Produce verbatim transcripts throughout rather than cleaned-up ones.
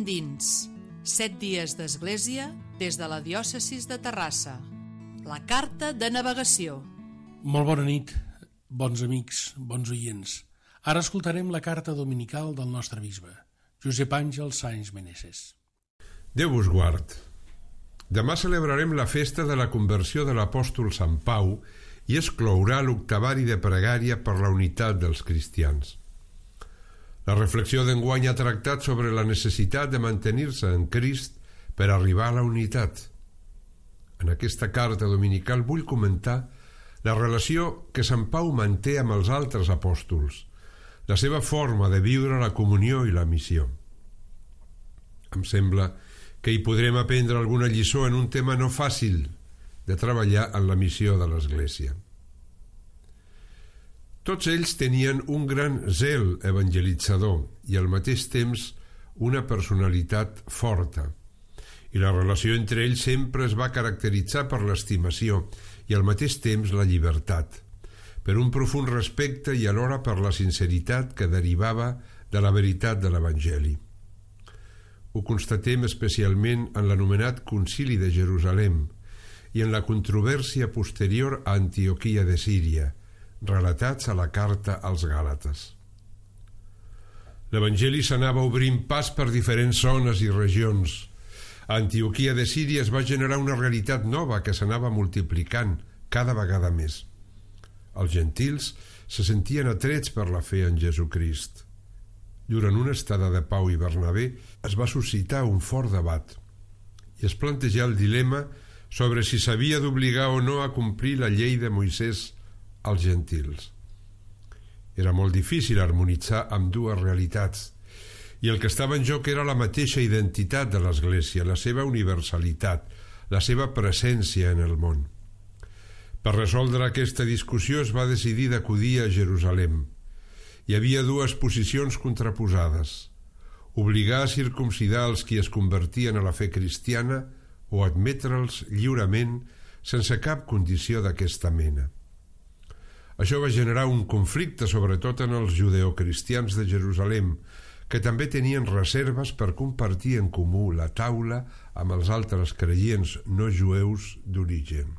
endins. Set dies d'església des de la diòcesis de Terrassa. La carta de navegació. Molt bona nit, bons amics, bons oients. Ara escoltarem la carta dominical del nostre bisbe, Josep Àngel Sáenz Meneses. Déu vos guard. Demà celebrarem la festa de la conversió de l'apòstol Sant Pau i es clourà l'octavari de pregària per la unitat dels cristians. La reflexió d'enguany ha tractat sobre la necessitat de mantenir-se en Crist per arribar a la unitat. En aquesta carta dominical vull comentar la relació que Sant Pau manté amb els altres apòstols, la seva forma de viure la comunió i la missió. Em sembla que hi podrem aprendre alguna lliçó en un tema no fàcil de treballar en la missió de l'Església. Tots ells tenien un gran zel evangelitzador i al mateix temps una personalitat forta, i la relació entre ells sempre es va caracteritzar per l'estimació i al mateix temps la llibertat, per un profund respecte i alhora per la sinceritat que derivava de la veritat de l'Evangeli. Ho constatem especialment en l'anomenat Concili de Jerusalem i en la controvèrsia posterior a Antioquia de Síria, relatats a la carta als Gàlates. L'Evangeli s'anava obrint pas per diferents zones i regions. A Antioquia de Síria es va generar una realitat nova que s'anava multiplicant cada vegada més. Els gentils se sentien atrets per la fe en Jesucrist. Durant una estada de Pau i Bernabé es va suscitar un fort debat i es plantejà el dilema sobre si s'havia d'obligar o no a complir la llei de Moisès als gentils. Era molt difícil harmonitzar amb dues realitats i el que estava en joc era la mateixa identitat de l'Església, la seva universalitat, la seva presència en el món. Per resoldre aquesta discussió es va decidir d'acudir a Jerusalem. Hi havia dues posicions contraposades: obligar a circumcidar els qui es convertien a la fe cristiana o admetre'ls lliurement sense cap condició d'aquesta mena. Això va generar un conflicte sobretot en els judeocristians de Jerusalem, que també tenien reserves per compartir en comú la taula amb els altres creients no jueus d'origen.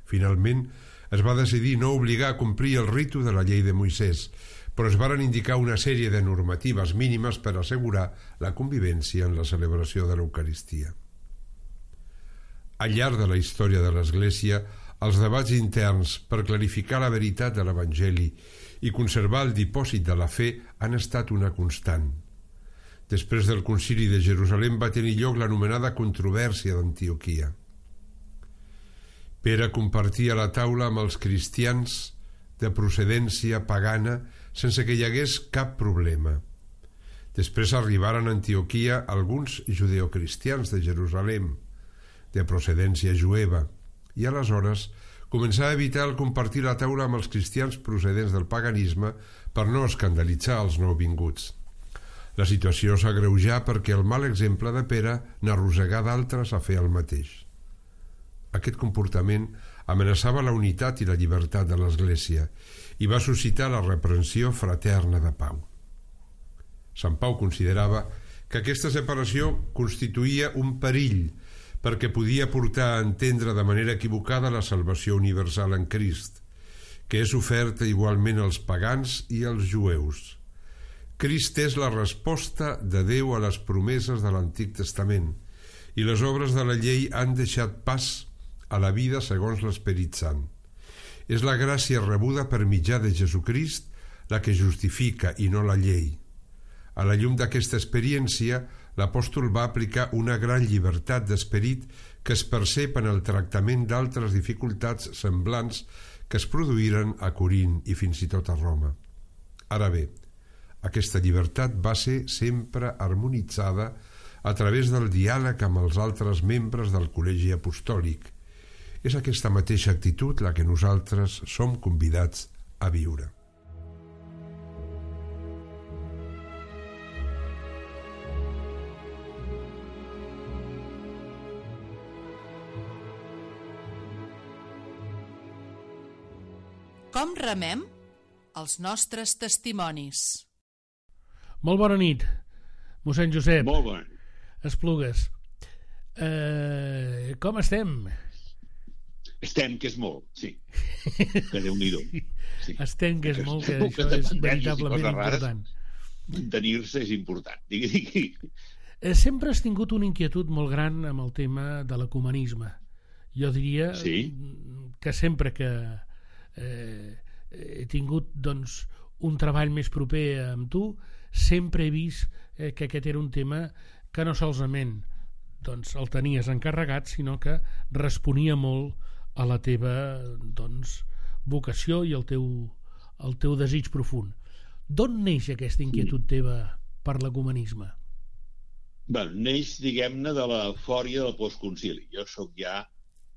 Finalment, es va decidir no obligar a complir el ritu de la llei de Moisès, però es varen indicar una sèrie de normatives mínimes per assegurar la convivència en la celebració de l'Eucaristia. Al llarg de la història de l'Església, els debats interns per clarificar la veritat de l'Evangeli i conservar el dipòsit de la fe han estat una constant. Després del Concili de Jerusalem va tenir lloc l'anomenada controvèrsia d'Antioquia. Pere compartia la taula amb els cristians de procedència pagana sense que hi hagués cap problema. Després arribaren a Antioquia alguns judeocristians de Jerusalem, de procedència jueva, i aleshores començà a evitar el compartir la taula amb els cristians procedents del paganisme per no escandalitzar els nouvinguts. La situació s'agreujà perquè el mal exemple de Pere n'arrossegà d'altres a fer el mateix. Aquest comportament amenaçava la unitat i la llibertat de l'Església i va suscitar la reprensió fraterna de Pau. Sant Pau considerava que aquesta separació constituïa un perill perquè podia portar a entendre de manera equivocada la salvació universal en Crist, que és oferta igualment als pagans i als jueus. Crist és la resposta de Déu a les promeses de l'Antic Testament i les obres de la llei han deixat pas a la vida segons l'Esperit Sant. És la gràcia rebuda per mitjà de Jesucrist la que justifica i no la llei. A la llum d'aquesta experiència, l'apòstol va aplicar una gran llibertat d'esperit que es percep en el tractament d'altres dificultats semblants que es produïren a Corint i fins i tot a Roma. Ara bé, aquesta llibertat va ser sempre harmonitzada a través del diàleg amb els altres membres del col·legi apostòlic. És aquesta mateixa actitud la que nosaltres som convidats a viure. Com remem els nostres testimonis? Molt bona nit. Mossèn Josep. Molt bona nit. Esplugues. Eh, com estem? Estem, que és molt, sí. Que Déu-n'hi-do. Sí. Estem, que és molt, que Èpoques això de és pandèmies i veritablement coses rares, important. Mantenir-se és important. Digui, digui. Eh, Sempre has tingut una inquietud molt gran amb el tema de l'ecumenisme. Jo diria Sí. que sempre que eh, he tingut doncs, un treball més proper amb tu, sempre he vist eh, que aquest era un tema que no solament doncs, el tenies encarregat, sinó que responia molt a la teva doncs, vocació i el teu, el teu desig profund. D'on neix aquesta inquietud teva per l'ecumenisme? Bé, neix, diguem-ne, de la fòria del postconcili. Jo sóc ja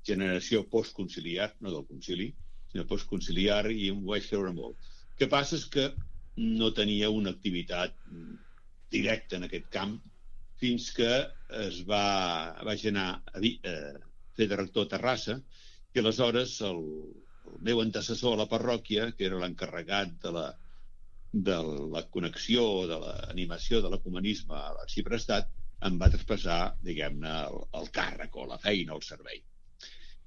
generació postconciliar, no del concili, sinó postconciliar, i em vaig creure molt. El que passa és que no tenia una activitat directa en aquest camp fins que es va, vaig anar a, dir, a fer de rector a Terrassa, i aleshores el, el meu antecessor a la parròquia, que era l'encarregat de la, de la connexió, de l'animació de l'ecumenisme a l'arxiprestat, em va traspassar, diguem-ne, el, el càrrec o la feina, el servei.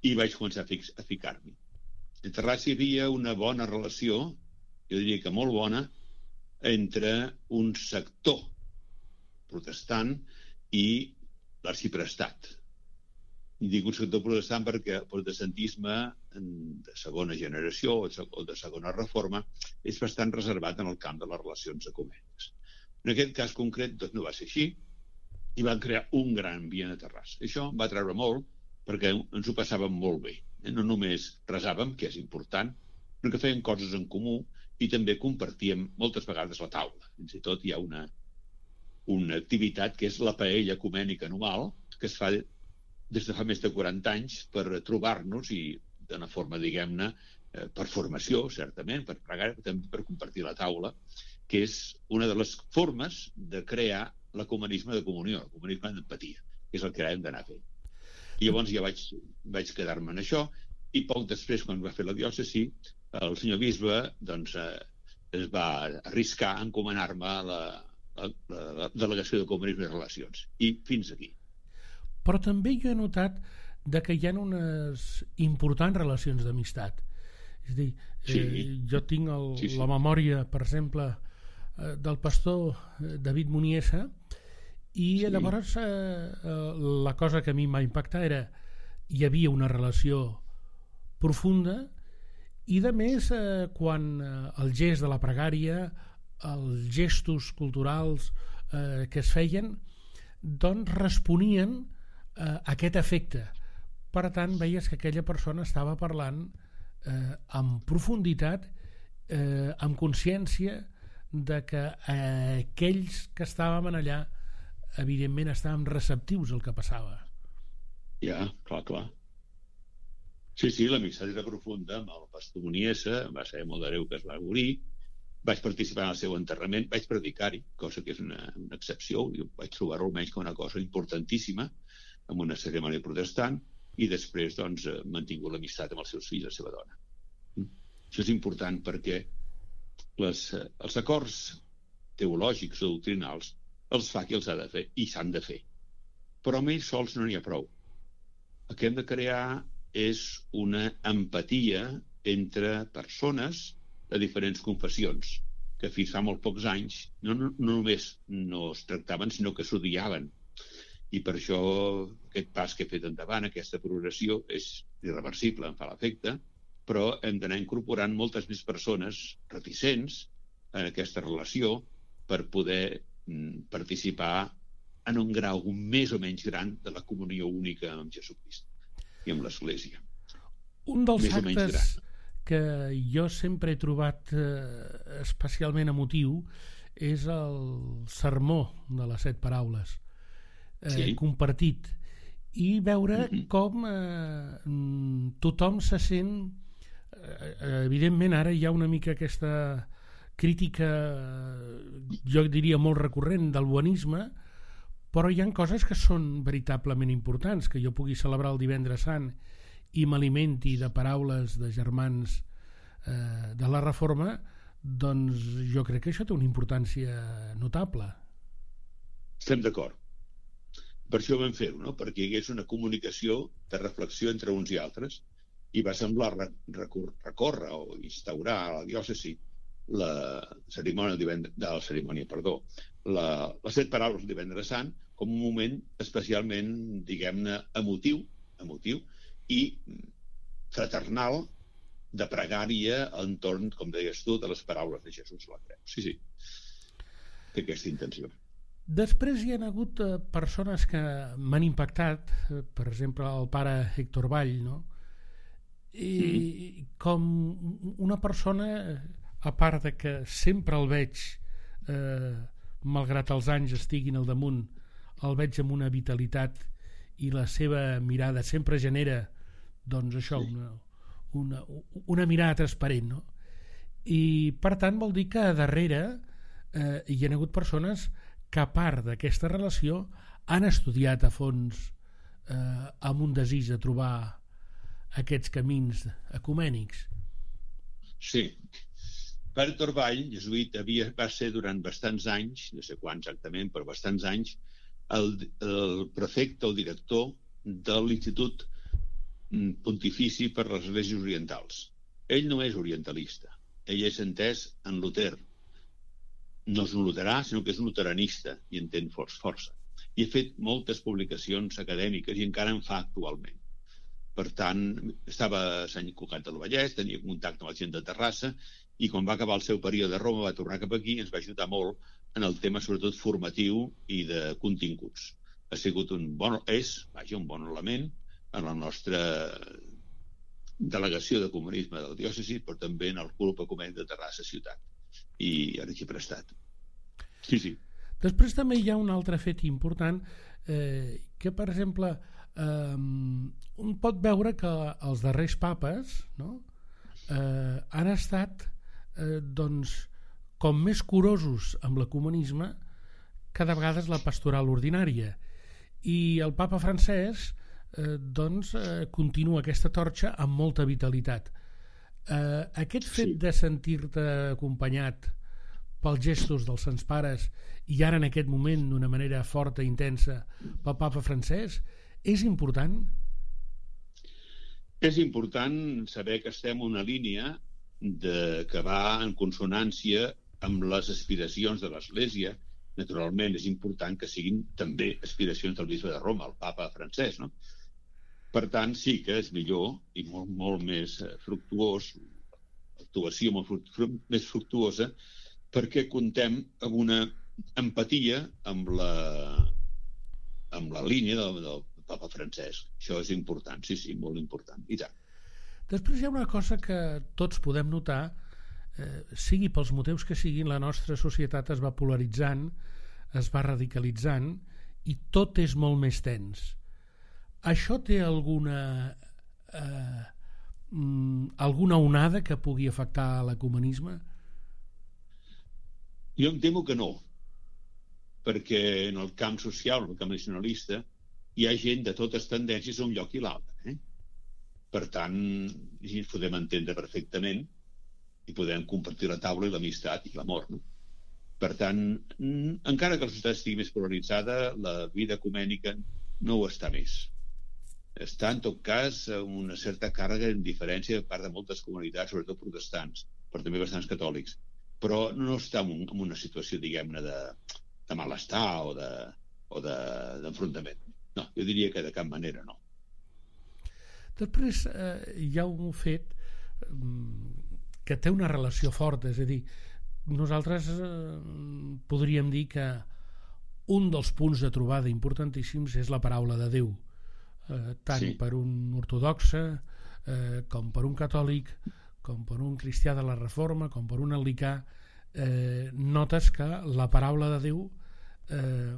I vaig començar a, fix, a ficar-m'hi. A Terrassa hi havia una bona relació, jo diria que molt bona, entre un sector protestant i l'arxiprestat. I dic un sector protestant perquè el protestantisme de segona generació o de segona reforma és bastant reservat en el camp de les relacions ecumèniques. En aquest cas concret doncs no va ser així i van crear un gran ambient a Terrassa. Això em va treure molt perquè ens ho passàvem molt bé. No només resàvem, que és important, sinó que fèiem coses en comú i també compartíem moltes vegades la taula. Fins i tot hi ha una, una activitat que és la paella ecumènica anual, que es fa des de fa més de quaranta anys per trobar-nos i d'una forma, diguem-ne, per formació, certament, per pregar, també per compartir la taula, que és una de les formes de crear l'ecumenisme de comunió, l'ecumenisme d'empatia, que és el que hem d'anar fent. I llavors ja vaig, vaig quedar-me en això, i poc després, quan va fer la diòcesi, el senyor bisbe doncs, eh, es va arriscar a encomanar-me la, la, la delegació d'ecumenisme i relacions. I fins aquí. Però també jo he notat de que hi ha unes importants relacions d'amistat. És a dir, sí. eh, jo tinc el, sí, sí. la memòria, per exemple, eh, del pastor David Muniesa, i sí. llavors eh, la cosa que a mi m'ha impactat era hi havia una relació profunda i de més eh, quan eh, el gest de la pregària, els gestos culturals eh, que es feien doncs responien a aquest efecte. Per tant, veies que aquella persona estava parlant eh, amb profunditat, eh, amb consciència de que eh, aquells que estàvem allà evidentment estàvem receptius al que passava. Ja, clar, clar. Sí, sí, l'amistat era profunda amb el pastor Muniesa, va ser molt de greu que es va morir, vaig participar en el seu enterrament, vaig predicar-hi, cosa que és una, una excepció, i vaig trobar-ho almenys com una cosa importantíssima, amb una cerimònia protestant, i després doncs, he mantingut l'amistat amb els seus fills i la seva dona. Això és important perquè les, els acords teològics o doctrinals els fa qui els ha de fer, i s'han de fer. Però amb ells sols no n'hi ha prou. El que hem de crear és una empatia entre persones de diferents confessions, que fins fa molt pocs anys no, no, no només no es tractaven, sinó que s'odiaven. I per això aquest pas que he fet endavant, aquesta progressió, és irreversible, em fa l'efecte, però hem d'anar incorporant moltes més persones reticents en aquesta relació per poder mm, participar en un grau més o menys gran de la comunió única amb Jesucrist i amb l'Església. Un dels actes que jo sempre he trobat eh, especialment emotiu és el sermó de les set paraules eh, sí. compartit, i veure mm-hmm. com eh, tothom se sent eh, evidentment ara hi ha una mica aquesta crítica, jo diria molt recurrent, del bonisme, però hi ha coses que són veritablement importants, que jo pugui celebrar el Divendres Sant i m'alimenti de paraules de germans eh, de la Reforma, doncs jo crec que això té una importància notable. Estem d'acord. Per això vam fer-ho, no? Perquè hi hagués una comunicació de reflexió entre uns i altres, i va semblar recórrer o instaurar a la diòcesi la cerimònia de la cerimònia, perdó, la, les set paraules del Divendres Sant com un moment especialment, diguem-ne, emotiu, emotiu i fraternal, de pregària entorn, com deies tu, de les paraules de Jesús a la creu. Sí, sí, té aquesta intenció. Després hi ha hagut eh, persones que m'han impactat, eh, per exemple el pare Héctor Vall, no? I mm. com una persona, a part de que sempre el veig, eh, malgrat els anys estiguin al damunt, el veig amb una vitalitat i la seva mirada sempre genera, doncs això, sí. una, una, una mirada transparent, no? I per tant vol dir que a darrere eh, hi ha hagut persones que a part d'aquesta relació han estudiat a fons eh, amb un desig de trobar aquests camins ecumènics. Sí. Pare Héctor Vall, jesuïta, havia, va ser durant bastants anys, no sé quan exactament, però bastants anys, el, el prefecte o director de l'Institut Pontifici per les Esglésies Orientals. Ell no és orientalista, ell és entès en Luter. No és un luterà, sinó que és un luteranista i entén força. I ha fet moltes publicacions acadèmiques i encara en fa actualment. Per tant, estava a Sant Cugat del Vallès, tenia contacte amb la gent de Terrassa i quan va acabar el seu període a Roma va tornar cap aquí i ens va ajudar molt en el tema sobretot formatiu i de continguts. Ha sigut un bon, és, vaja, un bon element en la nostra delegació de comunisme de la diòcesi, però també en el grup ecumènic de Terrassa ciutat. I ara hi he prestat. Sí, sí. Després també hi ha un altre fet important eh, que, per exemple, eh, un pot veure que els darrers papes, no, eh, han estat eh, doncs, com més curosos amb l'ecumenisme que de vegades la pastoral ordinària. I el papa francès eh, doncs, eh, continua aquesta torxa amb molta vitalitat. Eh, aquest fet sí. de sentir-te acompanyat pels gestos dels Sants Pares i ara en aquest moment d'una manera forta i intensa pel papa francès és important? És important saber que estem en una línia de, que va en consonància amb les aspiracions de l'Església. Naturalment és important que siguin també aspiracions del bisbe de Roma, el papa francès, no? Per tant, sí que és millor i molt, molt més fructuós, l'actuació molt fructu més fructuosa, perquè contem amb una empatia amb la, amb la línia del, del papa francès. Això és important, sí, sí, molt important. I tant. Després hi ha una cosa que tots podem notar, eh, sigui pels motius que siguin, la nostra societat es va polaritzant, es va radicalitzant i tot és molt més tens. Això té alguna eh, alguna onada que pugui afectar l'ecumenisme? Jo em temo que no, perquè en el camp social, en el camp nacionalista, hi ha gent de totes tendències a un lloc i l'altre. Eh? Per tant, ens podem entendre perfectament i podem compartir la taula i l'amistat i l'amor. No? Per tant, encara que la societat estigui més polaritzada, la vida ecumènica no ho està més. Està, en tot cas, una certa càrrega d'indiferència per part de moltes comunitats, sobretot protestants, però també bastants catòlics. Però no està en, un, en una situació, diguem-ne, de, de malestar o de, o de, d'enfrontament. No, jo diria que de cap manera no. Després eh, hi ha un fet que té una relació forta, és a dir, nosaltres eh, podríem dir que un dels punts de trobada importantíssims és la paraula de Déu, eh, tant sí. per un ortodoxe eh, com per un catòlic, com per un cristià de la Reforma, com per un anglicà, eh, notes que la paraula de Déu eh,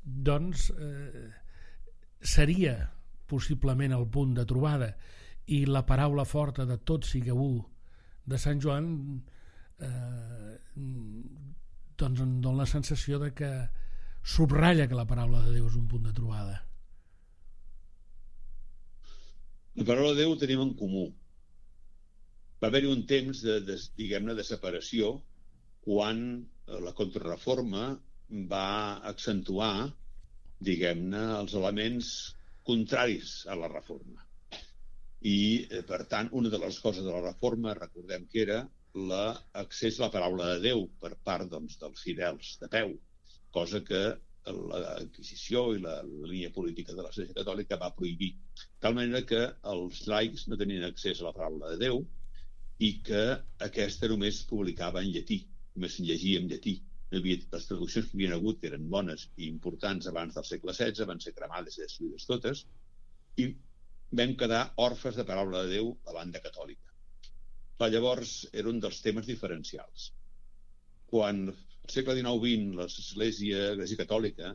doncs eh, seria possiblement el punt de trobada, i la paraula forta de tot sigueu u de Sant Joan eh, doncs em dona la sensació de que subratlla que la paraula de Déu és un punt de trobada. La paraula de Déu ho tenim en comú. Va haver-hi un temps de, de, diguem-ne, de separació quan la contrarreforma va accentuar, diguem-ne, els elements contraris a la reforma. I, per tant, una de les coses de la reforma, recordem que era l'accés a la paraula de Déu per part, doncs, dels fidels de peu, cosa que l'Inquisició i la, la línia política de l'Església Catòlica va prohibir. De tal manera que els laics no tenien accés a la paraula de Déu i que aquesta només publicava en llatí, només se'n llegia en llatí. No havia, les traduccions que hi havia hagut, que eren bones i importants abans del segle setze, van ser cremades i destruïdes totes, i vam quedar orfes de paraula de Déu a banda catòlica. Però llavors era un dels temes diferencials. Quan al segle dinou vint l'Església, l'Església Catòlica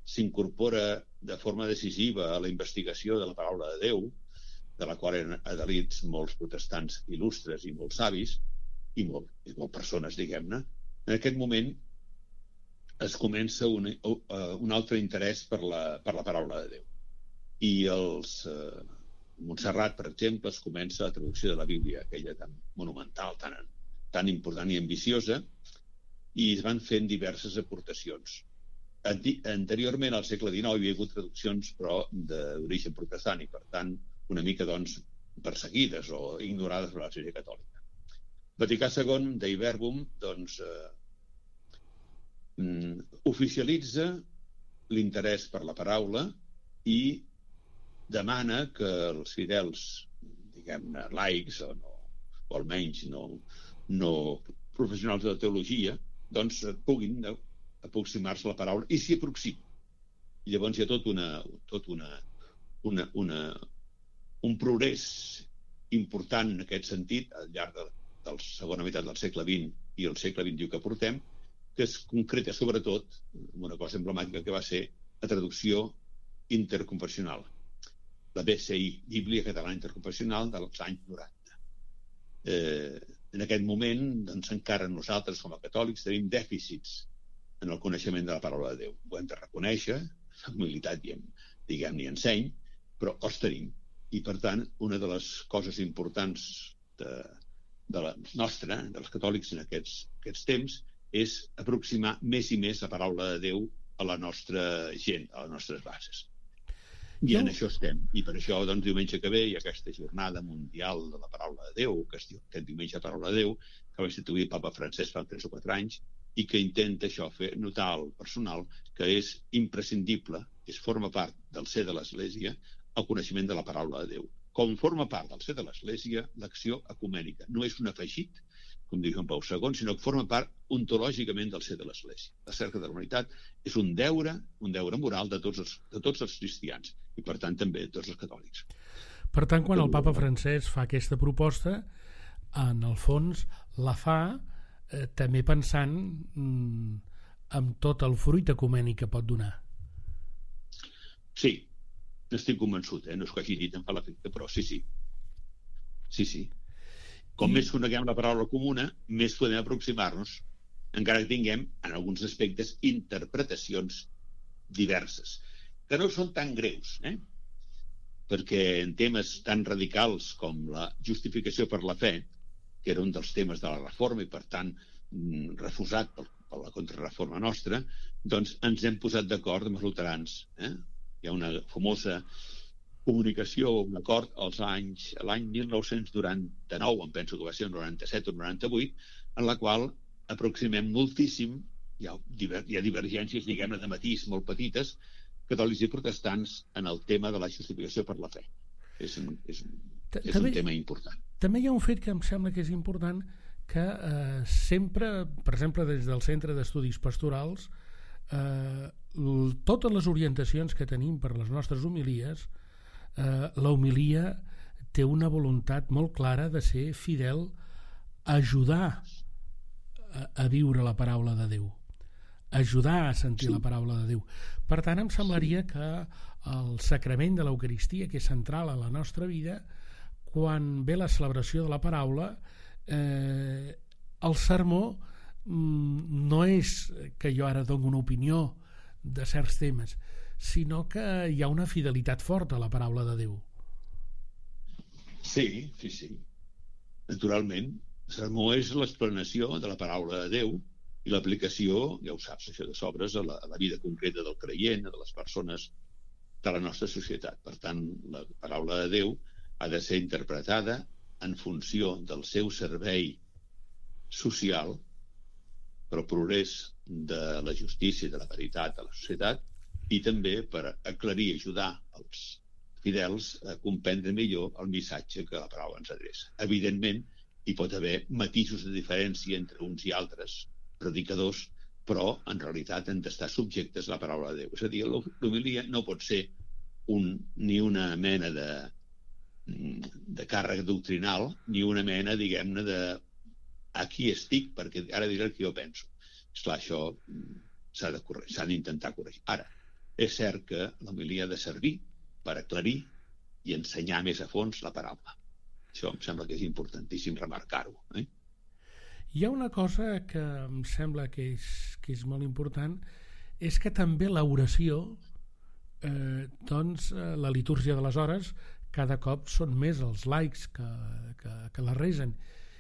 s'incorpora de forma decisiva a la investigació de la paraula de Déu, de la qual eren adherits molts protestants il·lustres i molts savis, i molt, i molt persones, diguem-ne, en aquest moment es comença un, un altre interès per la, per la paraula de Déu. I els eh, Montserrat, per exemple, es comença la traducció de la Bíblia, aquella tan monumental, tan, tan important i ambiciosa, i es van fent diverses aportacions. Anteriorment, al segle dinou, hi havia hagut traduccions, però d'origen protestant, i per tant, una mica, doncs, perseguides o ignorades per l'Església Catòlica. Vaticà segon, Dei Verbum, doncs, eh, oficialitza l'interès per la paraula i demana que els fidels, diguem-ne, laics, o, no, o almenys no, no professionals de la teologia, doncs puguin aproximar-se a la paraula i s'hi aproximin. I llavors hi ha tot, una, tot una, una, una, un progrés important en aquest sentit al llarg de, de la segona meitat del segle vint i el segle vint-i-u que portem, que es concreta sobretot en una cosa emblemàtica que va ser la traducció interconfessional, la B C I, Bíblia Catalana Interconfessional, dels anys noranta. Eh, en aquest moment, doncs, encara nosaltres com a catòlics tenim dèficits en el coneixement de la paraula de Déu. Ho hem de reconèixer, la humilitat diguem-ne i enseny, però els tenim. I per tant, una de les coses importants de, de la nostra, dels catòlics en aquests, aquests temps, és aproximar més i més la paraula de Déu a la nostra gent, a les nostres bases. I en això estem. I per això, doncs, diumenge que ve hi ha aquesta jornada mundial de la paraula de Déu, que es diu aquest diumenge de la paraula de Déu, que va instituir el Papa Francesc fa tres o quatre anys, i que intenta això, fer notar al personal que és imprescindible, és forma part del ser de l'Església, el coneixement de la paraula de Déu. Com forma part del ser de l'Església, l'acció ecumènica. No és un afegit, com diu Joan Pau segon, sinó que forma part ontològicament del ser de l'Església. La cerca de la humanitat és un deure, un deure moral de tots els, de tots els cristians i, per tant, també de tots els catòlics. Per tant, quan el Papa Francesc fa aquesta proposta, en el fons la fa eh, també pensant mm, en tot el fruit ecumènic que pot donar. Sí, n'estic convençut, eh? No és que hagi dit em fa l'efecte, però sí, sí. Sí, sí. Com més coneguem la paraula comuna, més podem aproximar-nos, encara que tinguem, en alguns aspectes, interpretacions diverses, que no són tan greus, eh? Perquè en temes tan radicals com la justificació per la fe, que era un dels temes de la reforma i, per tant, refusat per, per la contrarreforma nostra, doncs ens hem posat d'acord amb els luterans. Eh? Hi ha una famosa comunicació, un acord als anys, l'any mil nou-cents noranta-nou, em penso que va ser el noranta-set o noranta-vuit, en la qual aproximem moltíssim, hi ha, diver, hi ha divergències, diguem-ne, de matís molt petites, catòlics i protestants en el tema de la justificació per la fe. És un, és un, és un tema important. També hi ha un fet que em sembla que és important, que eh, sempre, per exemple, des del Centre d'Estudis Pastorals, eh, totes les orientacions que tenim per les nostres homilies, eh, la homilia té una voluntat molt clara de ser fidel, ajudar a, a viure la paraula de Déu, ajudar a sentir la paraula de Déu. Per tant, em semblaria que el sacrament de l'Eucaristia, que és central a la nostra vida, quan ve la celebració de la paraula, eh, el sermó mm, no és que jo ara dono una opinió de certs temes, sinó que hi ha una fidelitat forta a la paraula de Déu. Sí, sí, sí. Naturalment, el sermó és l'explanació de la paraula de Déu I l'aplicació, ja ho saps, això de sobres, a la, a la vida concreta del creient, de les persones de la nostra societat. Per tant, la paraula de Déu ha de ser interpretada en funció del seu servei social per al progrés de la justícia i de la veritat a la societat, i també per aclarir i ajudar els fidels a comprendre millor el missatge que la paraula ens adreça. Evidentment, hi pot haver matisos de diferència entre uns i altres predicadors, però en realitat han d'estar subjectes a la paraula de Déu. És a dir, l'homilia no pot ser un, ni una mena de, de càrrega doctrinal, ni una mena, diguem-ne, de aquí estic, perquè ara diré el que jo penso. Esclar, això s'ha de corregir, s'ha d'intentar corregir. Ara, és cert que l'homilia ha de servir per aclarir i ensenyar més a fons la paraula. Això em sembla que és importantíssim remarcar-ho. Eh? Hi ha una cosa que em sembla que és, que és molt important, és que també l'oració, eh, doncs la litúrgia de les hores, cada cop són més els laics que, que, que la resen,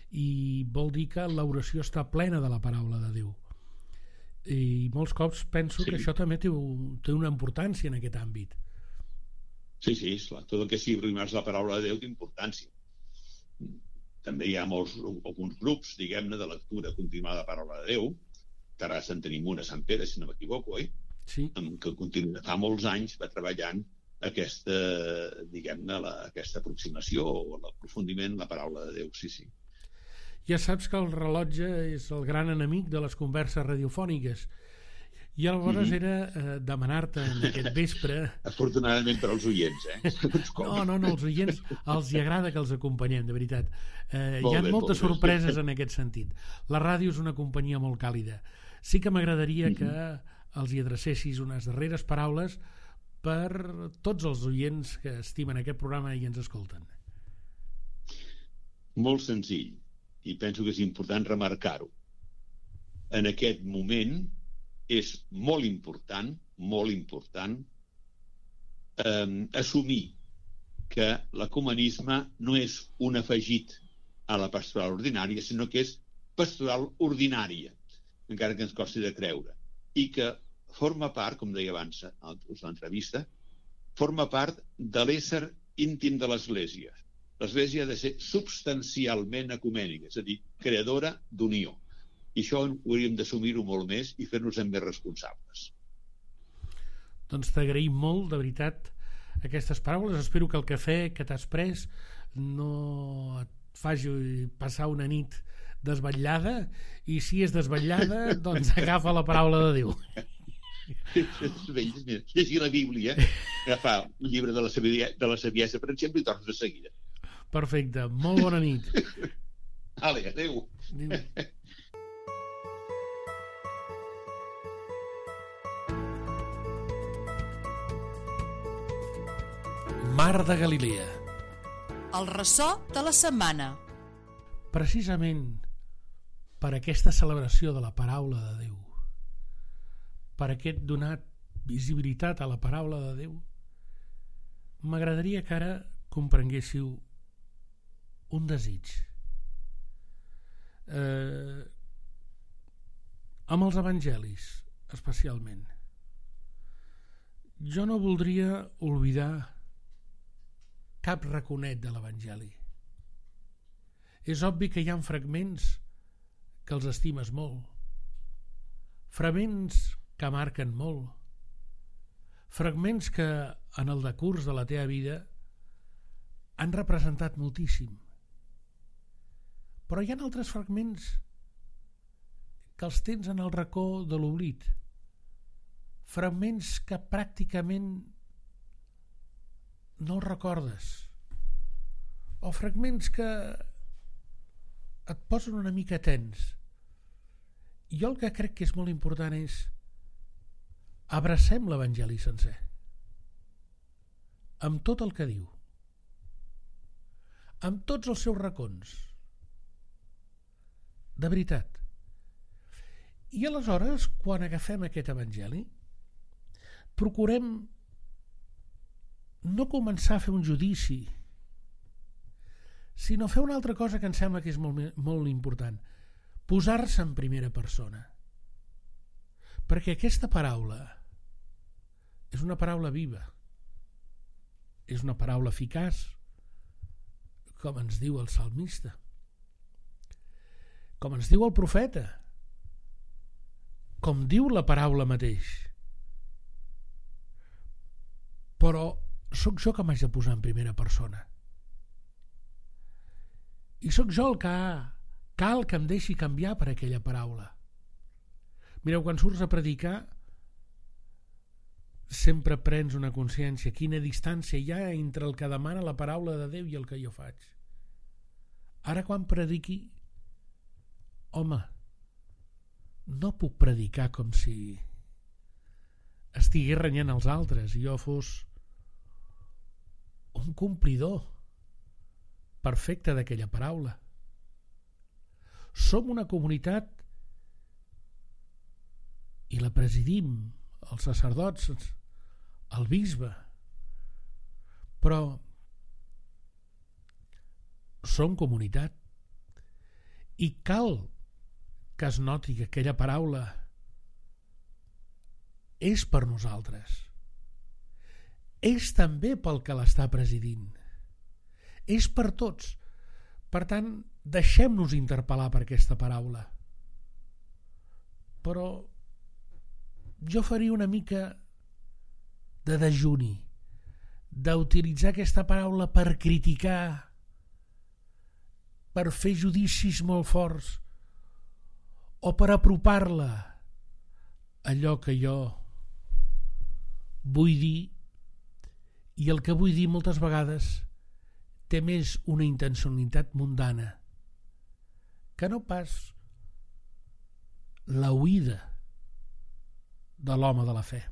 i vol dir que l'oració està plena de la paraula de Déu. I molts cops penso sí. que això també té, té una importància en aquest àmbit. Sí, sí, esclar. Tot el que sigui primar la paraula de Déu té importància. També hi ha molts, alguns grups, diguem-ne, de lectura continuada de la paraula de Déu. Terrassa en tenim una, Sant Pere, si no m'equivoco, oi? Sí. En que continua, fa molts anys va treballant aquesta, diguem-ne, la, aquesta aproximació o l'aprofundiment en la paraula de Déu, sí, sí. Ja saps que el rellotge és el gran enemic de les converses radiofòniques. I aleshores mm-hmm. era eh, demanar-te en aquest vespre... Afortunadament per als oients, eh? No, no, no, els oients els hi agrada que els acompanyem, de veritat. Eh, hi ha bé, moltes sorpreses bé. En aquest sentit. La ràdio és una companyia molt càlida. Sí que m'agradaria mm-hmm. que els hi adrecessis unes darreres paraules per tots els oients que estimen aquest programa i ens escolten. Molt senzill, i penso que és important remarcar-ho. En aquest moment és molt important, molt important, eh, assumir que l'ecumenisme no és un afegit a la pastoral ordinària, sinó que és pastoral ordinària, encara que ens costi de creure, i que forma part, com deia abans a l'entrevista, forma part de l'ésser íntim de l'Església. L'Església ha de ser substancialment ecumènica, és a dir, creadora d'unió. I això hauríem d'assumir-ho molt més i fer-nos més responsables. Doncs t'agraïm molt, de veritat, aquestes paraules. Espero que el cafè que t'has pres no et faci passar una nit desvetllada, i si és desvetllada, doncs agafa la paraula de Déu. Llegir la Bíblia, agafar un llibre de la saviesa, de la saviesa, per exemple, i tornes de seguida. Perfecte, molt bona nit. Ale, adéu. Adéu. Mar de Galilea. El ressò de la setmana. Precisament per aquesta celebració de la paraula de Déu, per aquest donat visibilitat a la paraula de Déu, m'agradaria que ara comprenguéssiu un desig. Eh, amb els evangelis, especialment. Jo no voldria oblidar cap raconet de l'Evangeli. És obvi que hi ha fragments que els estimes molt, fragments que marquen molt, fragments que en el decurs de la teva vida han representat moltíssim. Però hi ha altres fragments que els tens en el racó de l'oblit, fragments que pràcticament no els recordes, o fragments que et posen una mica tens. Jo el que crec que és molt important és abracem l'Evangeli sencer, amb tot el que diu, amb tots els seus racons, de veritat. I aleshores, quan agafem aquest Evangeli, procurem no començar a fer un judici, sinó fer una altra cosa que em sembla que és molt, molt important: posar-se en primera persona. Perquè aquesta paraula és una paraula viva, és una paraula eficaç, com ens diu el salmista, com ens diu el profeta, com diu la paraula mateix. Però sóc jo que m'haig de posar en primera persona. I sóc jo el que cal que em deixi canviar per aquella paraula. Mireu, quan surts a predicar, sempre prens una consciència, quina distància hi ha entre el que demana la paraula de Déu i el que jo faig. Ara quan prediqui, home, no puc predicar com si estigués renyant els altres i jo fos un complidor perfecte d'aquella paraula. Som una comunitat i la presidim els sacerdots, el bisbe, però som comunitat i cal que es noti que aquella paraula és per nosaltres, és també pel que l'està presidint, és per tots. Per tant, deixem-nos interpel·lar per aquesta paraula. Però jo faria una mica de dejuni, d'utilitzar aquesta paraula per criticar, per fer judicis molt forts, o per apropar-la a allò que jo vull dir, i el que vull dir moltes vegades té més una intencionalitat mundana que no pas la oïda de l'home de la fe.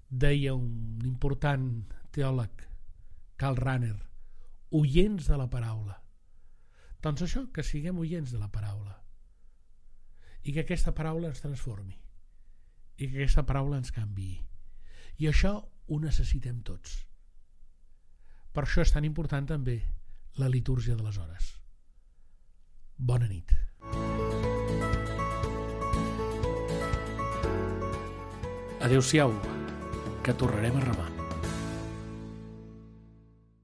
Deia un important teòleg, Karl Rahner, oients de la paraula. Doncs això, que siguem oients de la paraula i que aquesta paraula ens transformi i que aquesta paraula ens canviï. I això ho necessitem tots. Per això és tan important també la litúrgia de les hores. Bona nit. Adéu-siau, que tornarem a remar.